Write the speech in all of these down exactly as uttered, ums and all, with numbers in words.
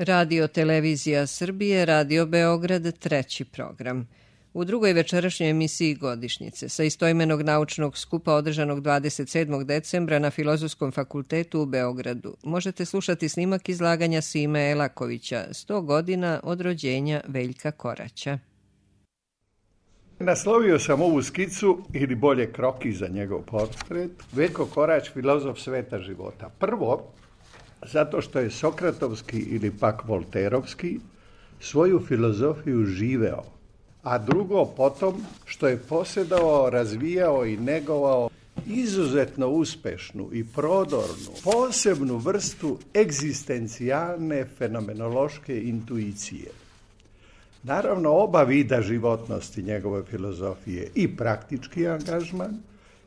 Radio Televizija Srbije, Radio Beograd, treći program. U drugoj večerašnjoj emisiji Godišnjice sa istoimenog naučnog skupa održanog dvadeset sedmog decembra na Filozofskom fakultetu u Beogradu možete slušati snimak izlaganja Sime Elakovića, sto godina od rođenja Veljka Koraća. Naslovio sam ovu skicu, ili bolje kroki za njegov portret, Veljko Korać, filozof sveta života. Prvo, zato što je sokratovski ili pak volterovski svoju filozofiju živeo, a drugo potom što je posjedovao, razvijao i negovao izuzetno uspešnu i prodornu, posebnu vrstu egzistencijalne fenomenološke intuicije. Naravno, oba vida životnosti njegove filozofije, i praktički angažman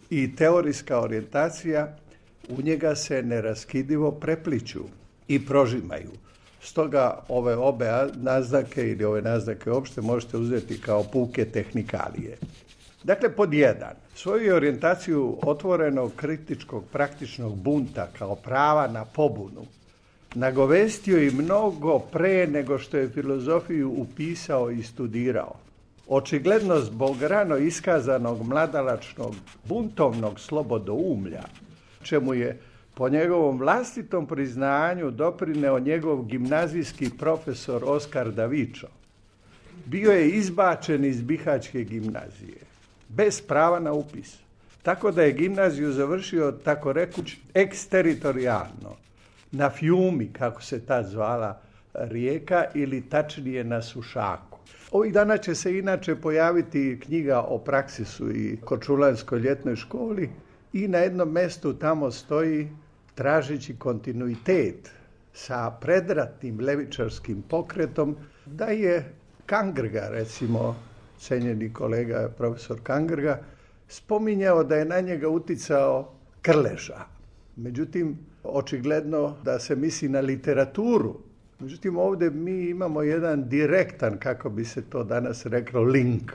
i teorijska orijentacija, u njega se neraskidivo prepliću i prožimaju. Stoga ove obe naznake ili ove naznake uopšte možete uzeti kao puke tehnikalije. Dakle, pod jedan, svoju orijentaciju otvorenog kritičkog praktičnog bunta kao prava na pobunu nagovestio i mnogo pre nego što je filozofiju upisao i studirao. Očigledno zbog rano iskazanog mladalačnog buntovnog slobodoumlja, čemu je po njegovom vlastitom priznanju doprineo njegov gimnazijski profesor Oskar Davičo, bio je izbačen iz Bihaćke gimnazije, bez prava na upis. Tako da je gimnaziju završio, tako rekuć, eksteritorijalno, na Fjumi, kako se tad zvala rijeka, ili tačnije na Sušaku. Ovih dana će se inače pojaviti knjiga o Praksisu i Korčulanskoj ljetnoj školi i na jednom mestu tamo stoji, tražeći kontinuitet sa predratnim levičarskim pokretom, da je Kangrga, recimo, cenjeni kolega profesor Kangrga, spominjao da je na njega uticao Krleža. Međutim, očigledno da se misli na literaturu. Međutim, ovdje mi imamo jedan direktan, kako bi se to danas reklo, link.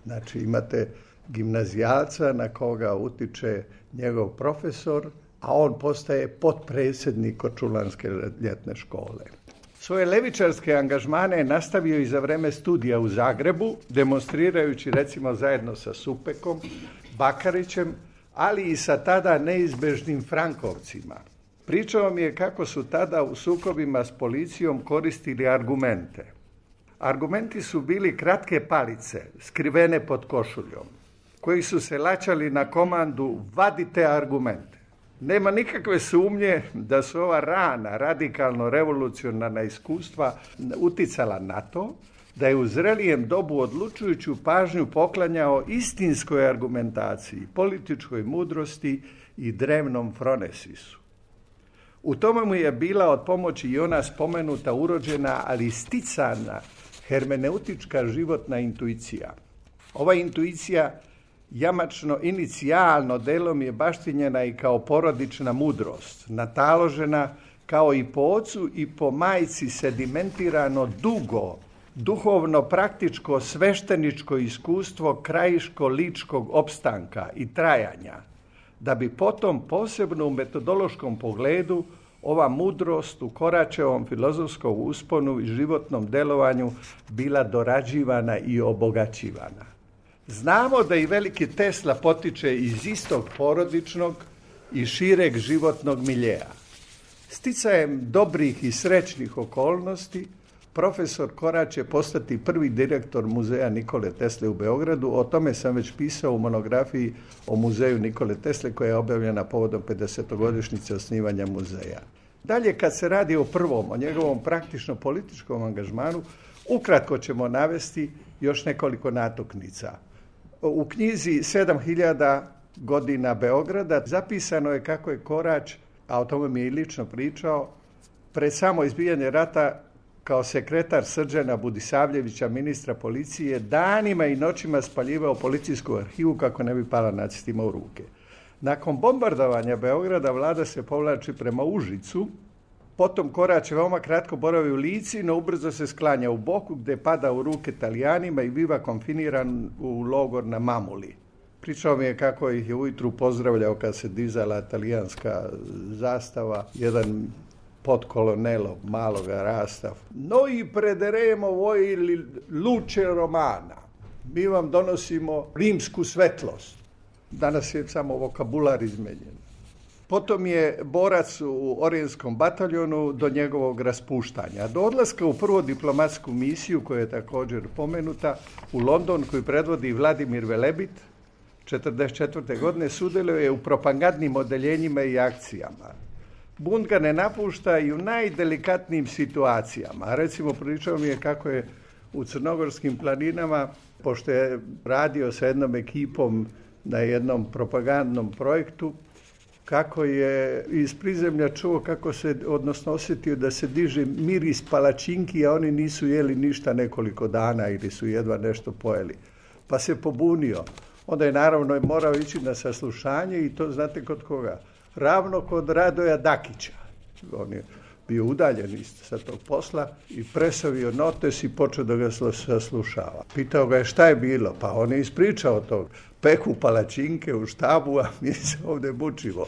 Znači, imate gimnazijalca na koga utiče njegov profesor, a on postaje potpredsjednik Korčulanske ljetne škole. Svoje levičarske angažmane je nastavio i za vreme studija u Zagrebu, demonstrirajući recimo zajedno sa Supekom, Bakarićem, ali i sa tada neizbežnim Frankovcima. Pričao mi je kako su tada u sukobima s policijom koristili argumente. Argumenti su bili kratke palice, skrivene pod košuljom, koji su se laćali na komandu vadite argumente. Nema nikakve sumnje da su ova rana, radikalno revolucionarna iskustva uticala na to da je u zrelijem dobu odlučujuću pažnju poklanjao istinskoj argumentaciji, političkoj mudrosti i drevnom fronesisu. U tome mu je bila od pomoći i ona spomenuta urođena, ali sticana hermeneutička životna intuicija. Ova intuicija jamačno inicijalno delom je baštinjena i kao porodična mudrost, nataložena kao i po ocu i po majci sedimentirano dugo, duhovno praktičko svešteničko iskustvo krajiško-ličkog opstanka i trajanja, da bi potom posebno u metodološkom pogledu ova mudrost u Koraćevom filozofskom usponu i životnom delovanju bila dorađivana i obogaćivana. Znamo da i veliki Tesla potiče iz istog porodičnog i šireg životnog miljeja. Sticajem dobrih i srećnih okolnosti, profesor Korać će postati prvi direktor muzeja Nikole Tesle u Beogradu. O tome sam već pisao u monografiji o muzeju Nikole Tesle koja je objavljena povodom pedesetogodišnjice osnivanja muzeja. Dalje, kad se radi o prvom, o njegovom praktično političkom angažmanu, ukratko ćemo navesti još nekoliko natuknica. U knjizi sedam hiljada godina Beograda zapisano je kako je Korać, a o tome mi je i lično pričao, pred samo izbijanje rata kao sekretar Srđana Budisavljevića, ministra policije, danima i noćima spaljivao policijsku arhivu kako ne bi pala nacistima u ruke. Nakon bombardovanja Beograda vlada se povlači prema Užicu, potom Korać veoma kratko boravi u Lici, no ubrzo se sklanja u Boku gde pada u ruke Talijanima i biva konfiniran u logor na Mamuli. Pričao mi je kako ih je ujutru pozdravljao kad se dizala talijanska zastava, jedan pod kolonelom maloga rasta. Noi prederemo voi luce romana. Mi vam donosimo rimsku svetlost. Danas je samo vokabular izmenjen. Potom je borac u Orijenskom bataljonu do njegovog raspuštanja. Do odlaska u prvu diplomatsku misiju, koja je također pomenuta, u London, koju predvodi Vladimir Velebit, četrdeset četvrte godine sudjeluje u propagandnim odeljenjima i akcijama. Bunt ga ne napušta i u najdelikatnijim situacijama. Recimo, pričao mi je kako je u crnogorskim planinama, pošto je radio sa jednom ekipom na jednom propagandnom projektu, kako je iz prizemlja čuo kako se, odnosno osjetio da se diže miris palačinki, a oni nisu jeli ništa nekoliko dana ili su jedva nešto pojeli. Pa se pobunio. Onda je naravno morao ići na saslušanje i to znate kod koga? Ravno kod Radoja Dakića. On je bio udaljen sa tog posla i presavio notes i počeo da ga saslušava. Pitao ga je šta je bilo, pa on je ispričao to. Peku palačinke u štabu, a mi se ovdje mučimo.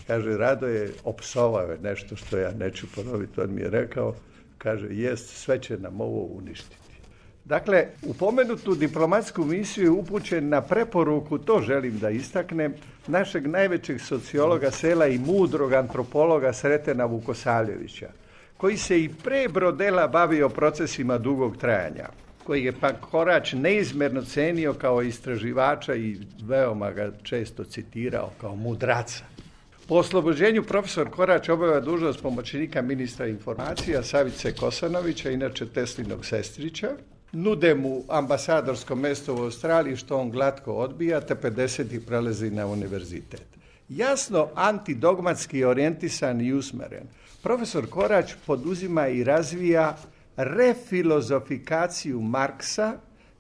Kaže, Radoje, opsovao je nešto što ja neću ponoviti, on mi je rekao, kaže, jest, sve će nam ovo uništiti. Dakle, u pomenutu diplomatsku misiju je upućen na preporuku, to želim da istaknem, našeg najvećeg sociologa sela i mudrog antropologa Sretena Vukosavljevića, koji se i pre Brodela bavio procesima dugog trajanja, koji je pa Korać neizmjerno cenio kao istraživača i veoma ga često citirao kao mudraca. Po oslobođenju profesor Korać obavlja dužnost pomoćnika ministra informacija Savice Kosanovića, inače Teslinog sestrića. Nude mu ambasadorsko mjesto u Australiji, što on glatko odbija, te pedesetih prelazi na univerzitet. Jasno antidogmatski orijentisan i usmeren, profesor Korać poduzima i razvija refilozofikaciju Marksa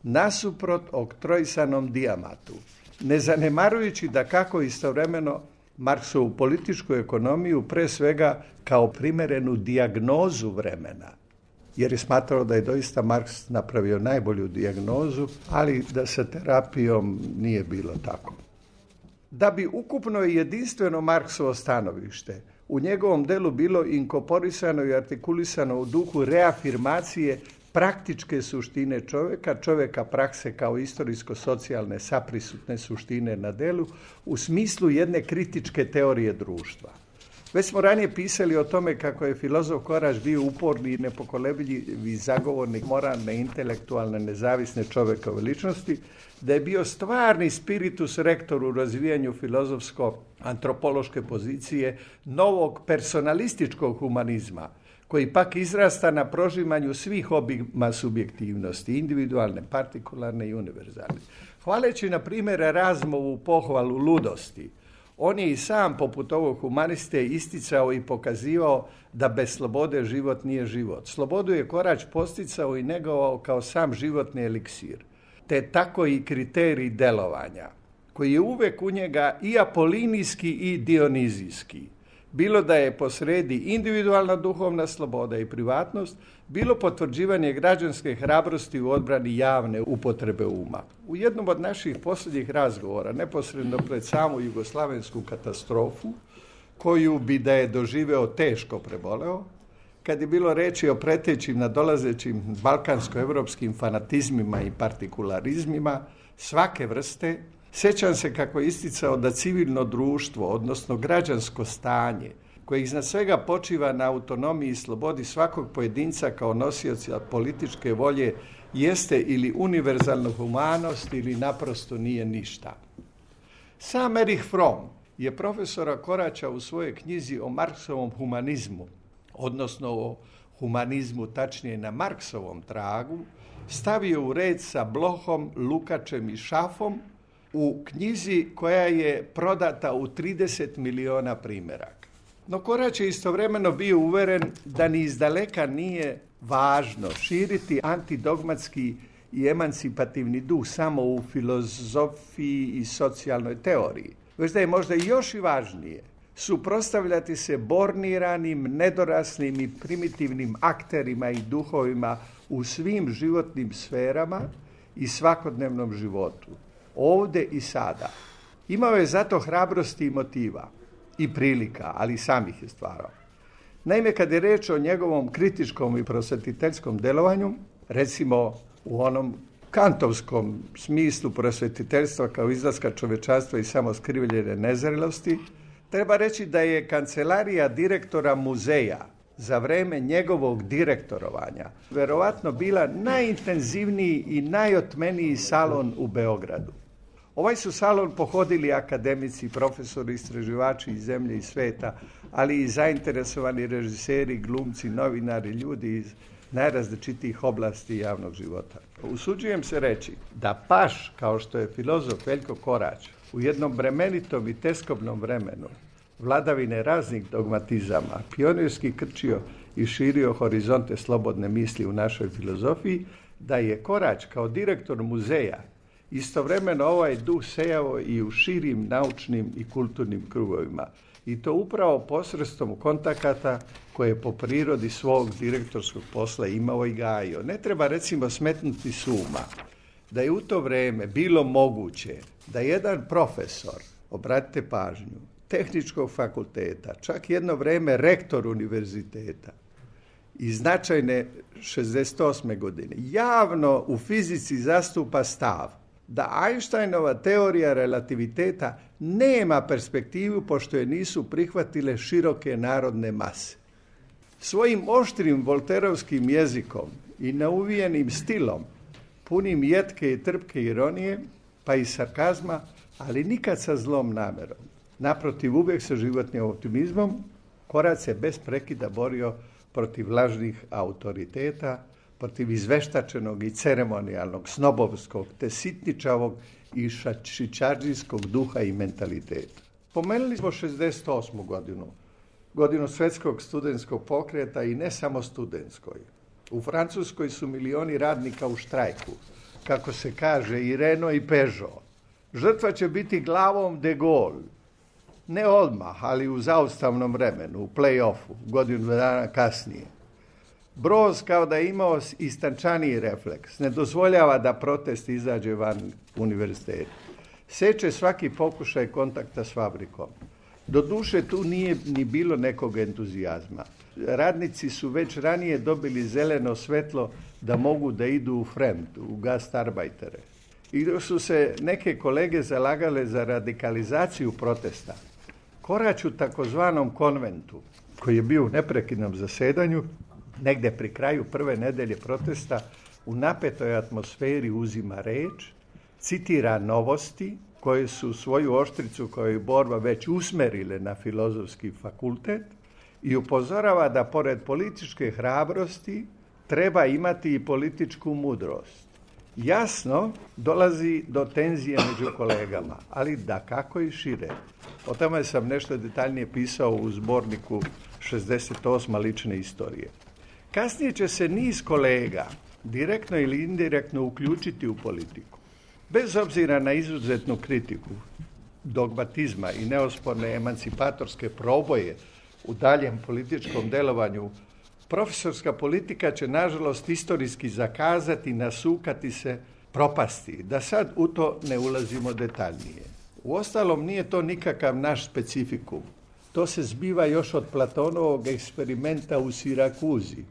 nasuprot oktroisanom Dijamatu, ne zanemarujući da kako istovremeno Marksovu političku ekonomiju pre svega kao primjerenu dijagnozu vremena, jer je smatrao da je doista Marks napravio najbolju dijagnozu, ali da sa terapijom nije bilo tako. Da bi ukupno i jedinstveno Marksovo stanovište u njegovom delu bilo inkorporisano i artikulisano u duhu reafirmacije praktičke suštine čovjeka, čovjeka prakse kao istorijsko-socijalne saprisutne suštine na delu, u smislu jedne kritičke teorije društva. Već smo ranije pisali o tome kako je filozof Korać bio uporni i nepokolebljivi zagovornik moralne, intelektualne, nezavisne čovjekove ličnosti, da je bio stvarni spiritus rektor u razvijanju filozofsko-antropološke pozicije novog personalističkog humanizma, koji pak izrasta na prožimanju svih obima subjektivnosti, individualne, partikularne i univerzalne. Hvaleći, na primjer, Erasmovu pohvalu ludosti, on je i sam, poput ovog humaniste, isticao i pokazivao da bez slobode život nije život. Slobodu je Korać posticao i negovao kao sam životni eliksir, te tako i kriterij delovanja, koji je uvek u njega i apolinijski i dionizijski. Bilo da je posredi individualna duhovna sloboda i privatnost, bilo potvrđivanje građanske hrabrosti u odbrani javne upotrebe uma. U jednom od naših posljednjih razgovora, neposredno pred samu jugoslavensku katastrofu, koju bi da je doživeo teško preboleo, kad je bilo reči o pretećim nadolazećim balkansko-evropskim fanatizmima i partikularizmima svake vrste, sjećam se kako je isticao da civilno društvo, odnosno građansko stanje, koje iznad svega počiva na autonomiji i slobodi svakog pojedinca kao nosioca političke volje, jeste ili univerzalna humanost ili naprosto nije ništa. Sam Erich Fromm je profesora Koraća u svojoj knjizi o Marksovom humanizmu, odnosno o humanizmu, tačnije na Marksovom tragu, stavio u red sa Blohom, Lukačem i Šafom u knjizi koja je prodata u trideset miliona primjeraka. No Korać je istovremeno bio uveren da ni izdaleka nije važno širiti antidogmatski i emancipativni duh samo u filozofiji i socijalnoj teoriji, već da je možda još i važnije suprotstavljati se borniranim, nedoraslim i primitivnim akterima i duhovima u svim životnim sferama i svakodnevnom životu, ovdje i sada. Imao je zato hrabrosti i motiva i prilika, ali sam ih je stvarao. Naime, kad je reč o njegovom kritičkom i prosvetiteljskom delovanju, recimo u onom kantovskom smislu prosvetiteljstva kao izlaska čovečanstva i samoskrivljene nezrelosti, treba reći da je kancelarija direktora muzeja za vreme njegovog direktorovanja verovatno bila najintenzivniji i najotmeniji salon u Beogradu. Ovaj su salon pohodili akademici, profesori, istraživači iz zemlje i sveta, ali i zainteresovani režiseri, glumci, novinari, ljudi iz najrazličitijih oblasti javnog života. Usuđujem se reći da paš, kao što je filozof Veljko Korać, u jednom bremenitom i teskobnom vremenu vladavine raznih dogmatizama pionirski krčio i širio horizonte slobodne misli u našoj filozofiji, da je Korać kao direktor muzeja istovremeno ovaj duh sejao i u širim naučnim i kulturnim krugovima. I to upravo posredstvom kontakata koje je po prirodi svog direktorskog posla imao i gajio. Ne treba recimo smetnuti s uma da je u to vreme bilo moguće da jedan profesor, obratite pažnju, tehničkog fakulteta, čak jedno vreme rektor univerziteta i značajne šezdeset osme godine, javno u fizici zastupa stav da Einsteinova teorija relativiteta nema perspektivu pošto je nisu prihvatile široke narodne mase. Svojim oštrim volterovskim jezikom i nauvijenim stilom, punim jetke i trpke ironije, pa i sarkazma, ali nikad sa zlom namerom, naprotiv uvijek sa životnim optimizmom, Korać se bez prekida borio protiv lažnih autoriteta, protiv izveštačenog i ceremonijalnog, snobovskog, te sitničavog i šičardžijskog duha i mentaliteta. Pomenuli smo šezdeset osmu godinu, godinu svetskog studentskog pokreta i ne samo studentskoj. U Francuskoj su milioni radnika u štrajku, kako se kaže i Renault i Peugeot. Žrtva će biti glavom de Gaulle. Ne odmah, ali u zaustavnom vremenu, u play-offu, godinu dana kasnije. Broz, kao da je imao istančaniji refleks, ne dozvoljava da protest izađe van univerziteta. Seče svaki pokušaj kontakta s fabrikom. Doduše, tu nije ni bilo nekog entuzijazma. Radnici su već ranije dobili zeleno svetlo da mogu da idu u Fremd, u gastarbajtere. I dok su se neke kolege zalagale za radikalizaciju protesta, Korać u takozvanom konventu, koji je bio u neprekidnom zasedanju, negde pri kraju prve nedelje protesta, u napetoj atmosferi uzima reč, citira novosti koje su svoju oštricu kao i borba već usmerile na filozofski fakultet i upozorava da pored političke hrabrosti treba imati i političku mudrost. Jasno, dolazi do tenzije među kolegama, ali da kako i šire. O tome sam nešto detaljnije pisao u zborniku šezdeset osme lične istorije. Kasnije će se niz kolega direktno ili indirektno uključiti u politiku. Bez obzira na izuzetnu kritiku dogmatizma i neosporne emancipatorske proboje u daljem političkom delovanju, profesorska politika će, nažalost, istorijski zakazati, nasukati se, propasti. Da sad u to ne ulazimo detaljnije. Uostalom, nije to nikakav naš specifikum. To se zbiva još od Platonovog eksperimenta u Sirakuzi,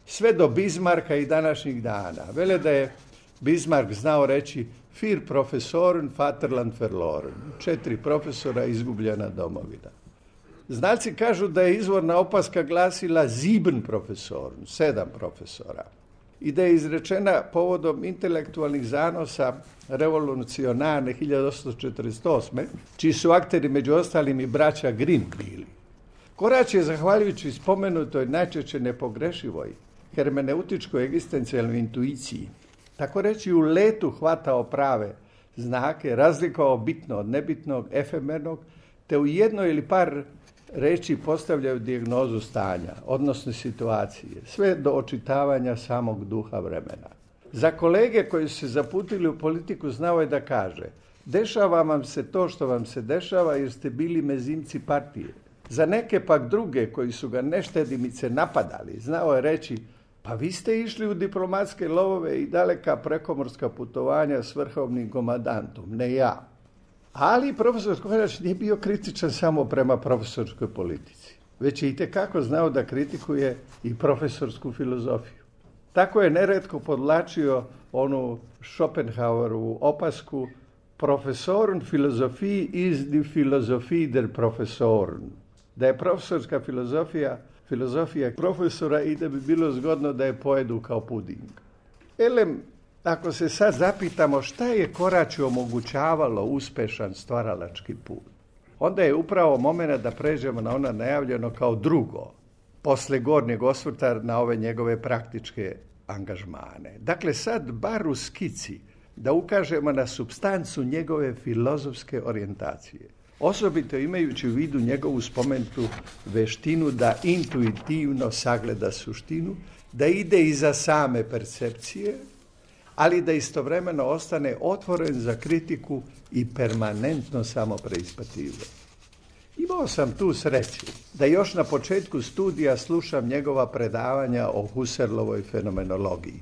sve do Bismarcka i današnjih dana. Vele da je Bismarck znao reći vier Professoren, Vaterland verloren. Četiri profesora, izgubljena domovina. Znalci kažu da je izvorna opaska glasila sieben Professoren, sedam profesora. I da je izrečena povodom intelektualnih zanosa revolucionarne hiljadu osamsto četrdeset osme, čiji su akteri među ostalim i braća Grimm bili. Korać je, zahvaljujući spomenutoj najčešće nepogrešivoj hermeneutičkoj egzistencijalnoj intuiciji, tako reći u letu hvatao prave znake, razlikovao bitno od nebitnog, efemernog, te u jedno ili par reči postavljaju dijagnozu stanja, odnosno situacije, sve do očitavanja samog duha vremena. Za kolege koji su se zaputili u politiku znao je da kaže: dešava vam se to što vam se dešava jer ste bili mezimci partije. Za neke pak druge koji su ga neštedimice napadali, znao je reći: pa vi ste išli u diplomatske lovove i daleka prekomorska putovanja s vrhovnim komandantom, ne ja. Ali profesor Korać nije bio kritičan samo prema profesorskoj politici. već je itekako znao da kritikuje i profesorsku filozofiju. Tako je neretko podlačio onu Schopenhauerovu opasku Professorun Philosophie ist die Philosophie der Professoren. Da je profesorska filozofija filozofija profesora i da bi bilo zgodno da je pojedu kao puding. Elem, ako se sad zapitamo šta je Koraću omogućavalo uspešan stvaralački put, onda je upravo moment da pređemo na ono najavljeno kao drugo, posle gornjeg osvrta na ove njegove praktičke angažmane. Dakle, sad bar u skici da ukažemo na supstancu njegove filozofske orijentacije. Osobito imajući u vidu njegovu spomenutu veštinu da intuitivno sagleda suštinu, da ide iza same percepcije, ali da istovremeno ostane otvoren za kritiku i permanentno samo preispitivanje. Imao sam tu sreću da još na početku studija slušam njegova predavanja o Husserlovoj fenomenologiji.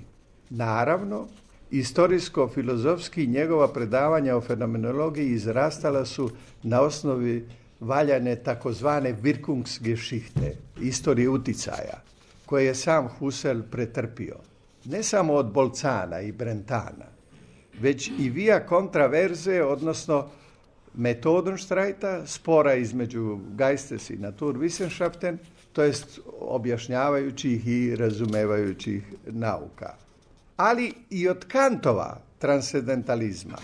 Naravno, istorijsko-filozofski njegova predavanja o fenomenologiji izrastala su na osnovi valjane takozvane Wirkungsgeschichte, istorije uticaja, koje je sam Husserl pretrpio. Ne samo od Bolcana i Brentana, već i via kontraverze, odnosno Methodenstreita, spora između Geistes i Naturwissenschaften, to jest objašnjavajućih i razumevajućih nauka. Ali i od Kantova transcendentalizma,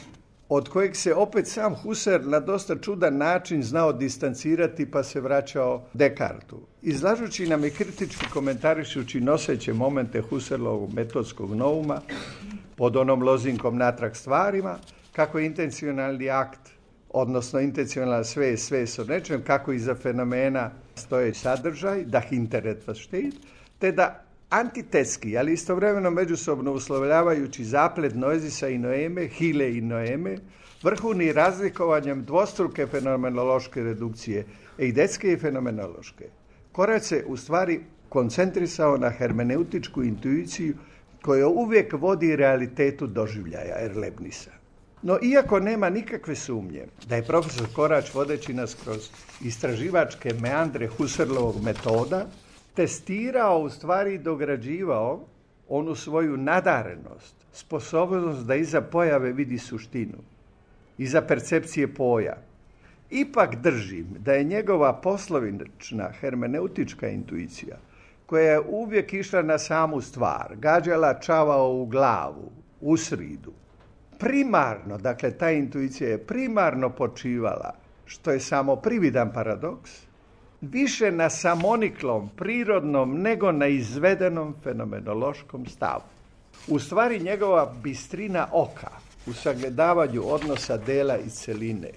od kojeg se opet sam Husserl na dosta čudan način znao distancirati pa se vraćao Descartu. Izlažući nam i kritički komentarišući noseće momente Husserlovog metodskog nouma pod onom lozinkom natrag stvarima, kako je intencionalni akt, odnosno intencionalna svest, svest o nečem, kako iza fenomena stoje sadržaj, da hinter etwas steht, te da antitetski, ali istovremeno međusobno uslovljavajući zaplet noezisa i noeme, hile i noeme, vrhuni razlikovanjem dvostruke fenomenološke redukcije, eidetske i fenomenološke. Korać se u stvari koncentrisao na hermeneutičku intuiciju koja uvijek vodi realitetu doživljaja Erlebnisa. No, iako nema nikakve sumnje da je profesor Korać, vodeći nas kroz istraživačke meandre Husserlovog metoda, testirao, u stvari dograđivao onu svoju nadarenost, sposobnost da iza pojave vidi suštinu, iza percepcije poja. Ipak držim da je njegova poslovična hermeneutička intuicija, koja je uvijek išla na samu stvar, gađala čavao u glavu, u sridu, primarno, dakle ta intuicija je primarno počivala, što je samo prividan paradoks, više na samoniklom, prirodnom, nego na izvedenom fenomenološkom stavu. U stvari njegova bistrina oka u sagledavanju odnosa dela i celine,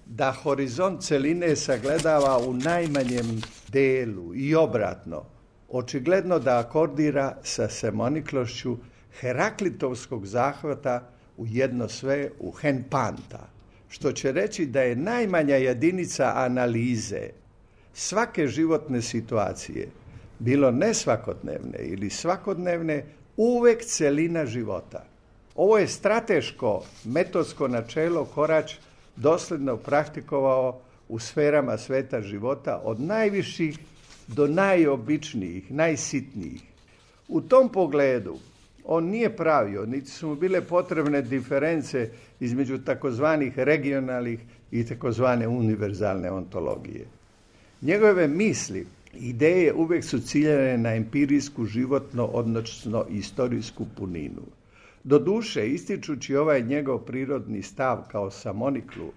da horizont celine sagledava u najmanjem delu i obratno, očigledno da akordira sa samoniklošću heraklitovskog zahvata u jedno sve, u hen panta, što će reći da je najmanja jedinica analize svake životne situacije, bilo ne svakodnevne ili svakodnevne, uvek celina života. Ovo je strateško metodsko načelo Korać dosledno praktikovao u sferama sveta života od najviših do najobičnijih, najsitnijih. U tom pogledu on nije pravio, niti su mu bile potrebne diference između takozvanih regionalnih i takozvane univerzalne ontologije. Njegove misli, ideje uvijek su ciljane na empirijsku, životno, odnosno istorijsku puninu. Doduše, ističući ovaj njegov prirodni stav kao samoniklu,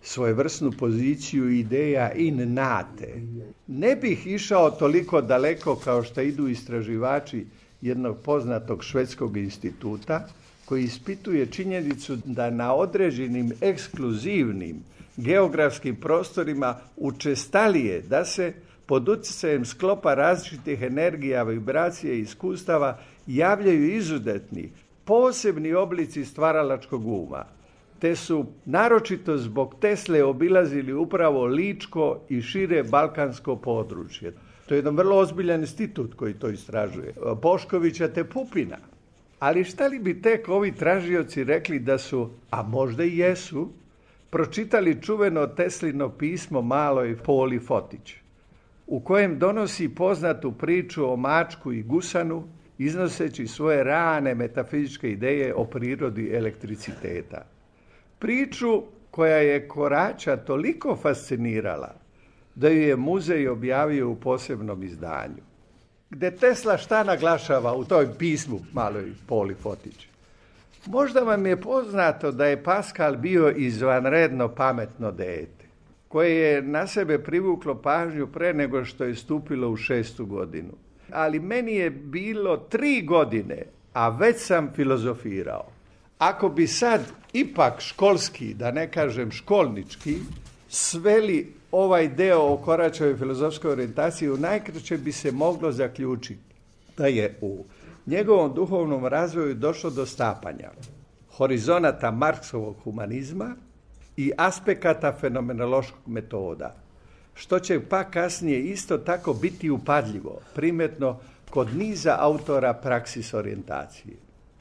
svojevrsnu poziciju ideja in nate, ne bih išao toliko daleko kao što idu istraživači jednog poznatog švedskog instituta, koji ispituje činjenicu da na određenim ekskluzivnim geografskim prostorima učestalije da se pod utjecajem sklopa različitih energija, vibracija i iskustava javljaju izuzetni, posebni oblici stvaralačkog uma, te su naročito zbog Tesle obilazili upravo Ličko i šire balkansko područje. To je jedan vrlo ozbiljan institut koji to istražuje. Boškovića te Pupina. Ali šta li bi tek ovi tražioci rekli da su, a možda i jesu, pročitali čuveno Teslino pismo maloj Poli Fotić, u kojem donosi poznatu priču o mačku i gusanu, iznoseći svoje rane metafizičke ideje o prirodi elektriciteta. Priču koja je Korača toliko fascinirala da ju je muzej objavio u posebnom izdanju. Gde Tesla šta naglašava u toj pismu maloj Poli Fotić? Možda vam je poznato da je Pascal bio izvanredno pametno dete, koje je na sebe privuklo pažnju pre nego što je stupilo u šestu godinu. Ali meni je bilo tri godine, a već sam filozofirao. Ako bi sad ipak školski, da ne kažem školnički, sveli ovaj deo o Koračevoj filozofskoj orijentaciji, u najkraće bi se moglo zaključiti da je u njegovom duhovnom razvoju došlo do stapanja horizonata Marksovog humanizma i aspekata fenomenološkog metoda, što će pa kasnije isto tako biti upadljivo, primetno kod niza autora praksis orijentacije.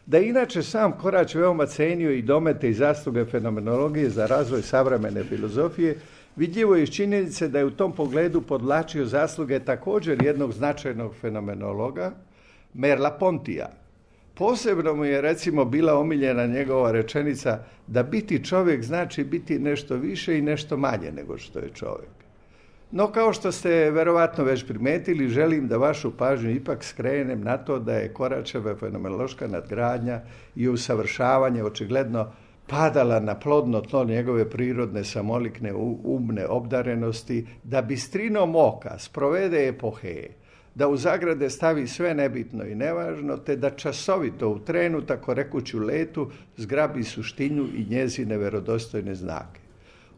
Da je inače sam Korač veoma cenio i domete i zasluge fenomenologije za razvoj savremene filozofije, vidljivo je iz činjenice da je u tom pogledu podvlačio zasluge također jednog značajnog fenomenologa, Merleau-Pontija. Posebno mu je recimo bila omiljena njegova rečenica da biti čovjek znači biti nešto više i nešto manje nego što je čovjek. No, kao što ste verovatno već primetili, želim da vašu pažnju ipak skrenem na to da je Koračeva fenomenološka nadgradnja i usavršavanje očigledno padala na plodno tlo njegove prirodne samolikne umne obdarenosti, da bistrinom oka sprovede epoheje, da u zagrade stavi sve nebitno i nevažno, te da časovito u trenu, tako rekući u letu, zgrabi suštinu i njezine verodostojne znake.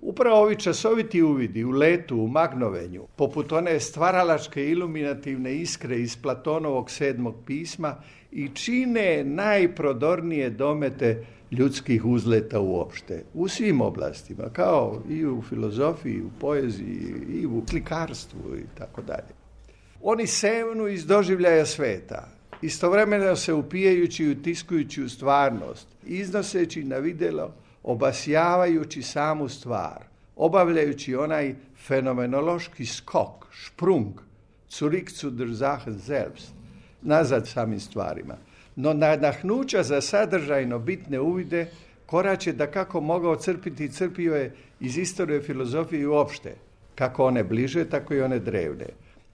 Upravo ovi časoviti uvidi u letu, u magnovenju, poput one stvaralačke iluminativne iskre iz Platonovog sedmog pisma, i čine najprodornije domete ljudskih uzleta uopšte, u svim oblastima, kao i u filozofiji, u poeziji, i u slikarstvu i tako dalje. Oni sevnu iz doživljaja sveta, istovremeno se upijajući i utiskujući u stvarnost, iznoseći na videlo, obasjavajući samu stvar, obavljajući onaj fenomenološki skok, sprung, zurück zu der Sache selbst, nazad samim stvarima. No nadahnuća za sadržajno bitne uvide Korač je dakako mogao crpiti i crpio je iz istorije filozofije uopšte, kako one bliže, tako i one drevne,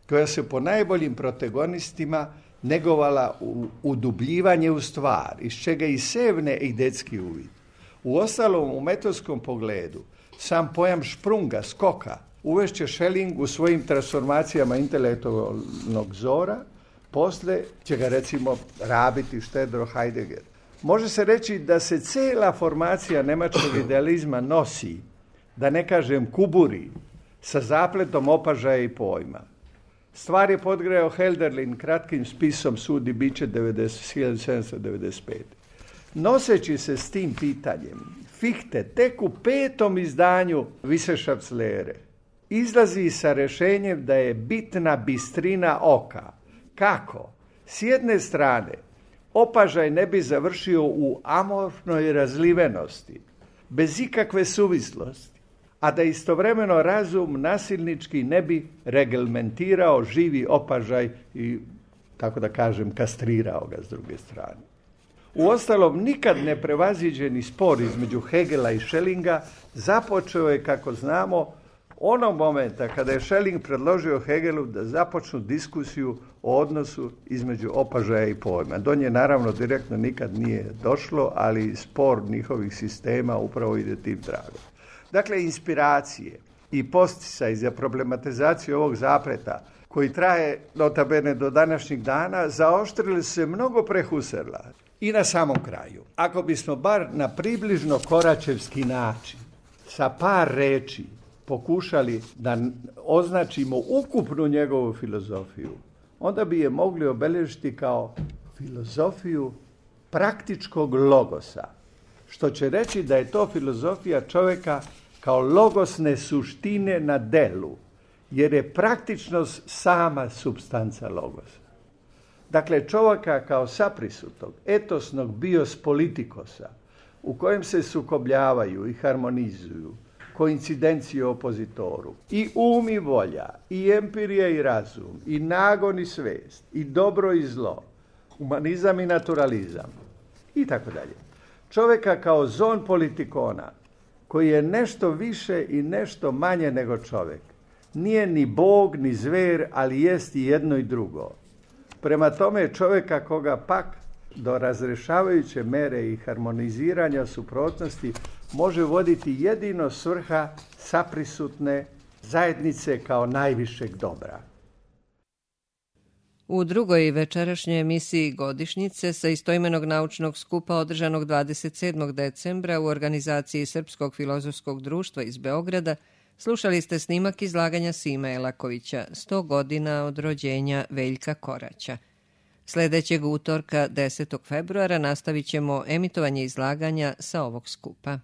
koja se po najboljim protagonistima negovala u udubljivanje u stvar, iz čega i sevne idetski uvid. Uostalom, u metodskom pogledu, sam pojam šprunga, skoka, uvešće Schelling u svojim transformacijama intelektualnog zora, posle će ga recimo rabiti štedro Heidegger. Može se reći da se cela formacija nemačkog idealizma nosi, da ne kažem kuburi, sa zapletom opažaja i pojma. Stvar je podgreo Hölderlin kratkim spisom Sud i biće hiljadu sedamsto devedeset pete. Noseći se s tim pitanjem, Fichte tek u petom izdanju Wissenschaftslehre izlazi sa rešenjem da je bitna bistrina oka. Kako? S jedne strane, opažaj ne bi završio u amorfnoj razlivenosti, bez ikakve suvislosti, a da istovremeno razum nasilnički ne bi reglementirao živi opažaj i, tako da kažem, kastrirao ga s druge strane. Uostalom, nikad ne prevaziđeni spor između Hegela i Schellinga započeo je, kako znamo, onog momenta kada je Schelling predložio Hegelu da započnu diskusiju o odnosu između opažaja i pojma. Do nje naravno direktno nikad nije došlo, ali spor njihovih sistema upravo ide tim tragom. Dakle, inspiracije i posticaj za problematizaciju ovog zapleta, koji traje notabene do današnjih dana, zaoštrili se mnogo prehusrla. I na samom kraju, ako bismo bar na približno koračevski način, sa par reči, pokušali da označimo ukupnu njegovu filozofiju, onda bi je mogli obeležiti kao filozofiju praktičkog logosa, što će reći da je to filozofija čovjeka kao logosne suštine na delu, jer je praktičnost sama supstanca logosa. Dakle, čovjeka kao saprisutog, etosnog bios politikosa, u kojem se sukobljavaju i harmonizuju koincidencio opozitoru, i um i volja, i empirija i razum, i nagon i svest, i dobro i zlo, humanizam i naturalizam, i tako dalje. Čoveka kao zon politikona, koji je nešto više i nešto manje nego čovek. Nije ni bog, ni zver, ali jest i jedno i drugo. Prema tome čoveka koga pak do razrešavajuće mere i harmoniziranja suprotnosti može voditi jedino svrha saprisutne zajednice kao najvišeg dobra. U drugoj večerašnjoj emisiji Godišnjice sa istoimenog naučnog skupa održanog dvadeset sedmog decembra u organizaciji Srpskog filozofskog društva iz Beograda slušali ste snimak izlaganja Sime Elakovića sto godina od rođenja Veljka Koraća. Sljedećeg utorka desetog februara nastavit ćemo emitovanje izlaganja sa ovog skupa.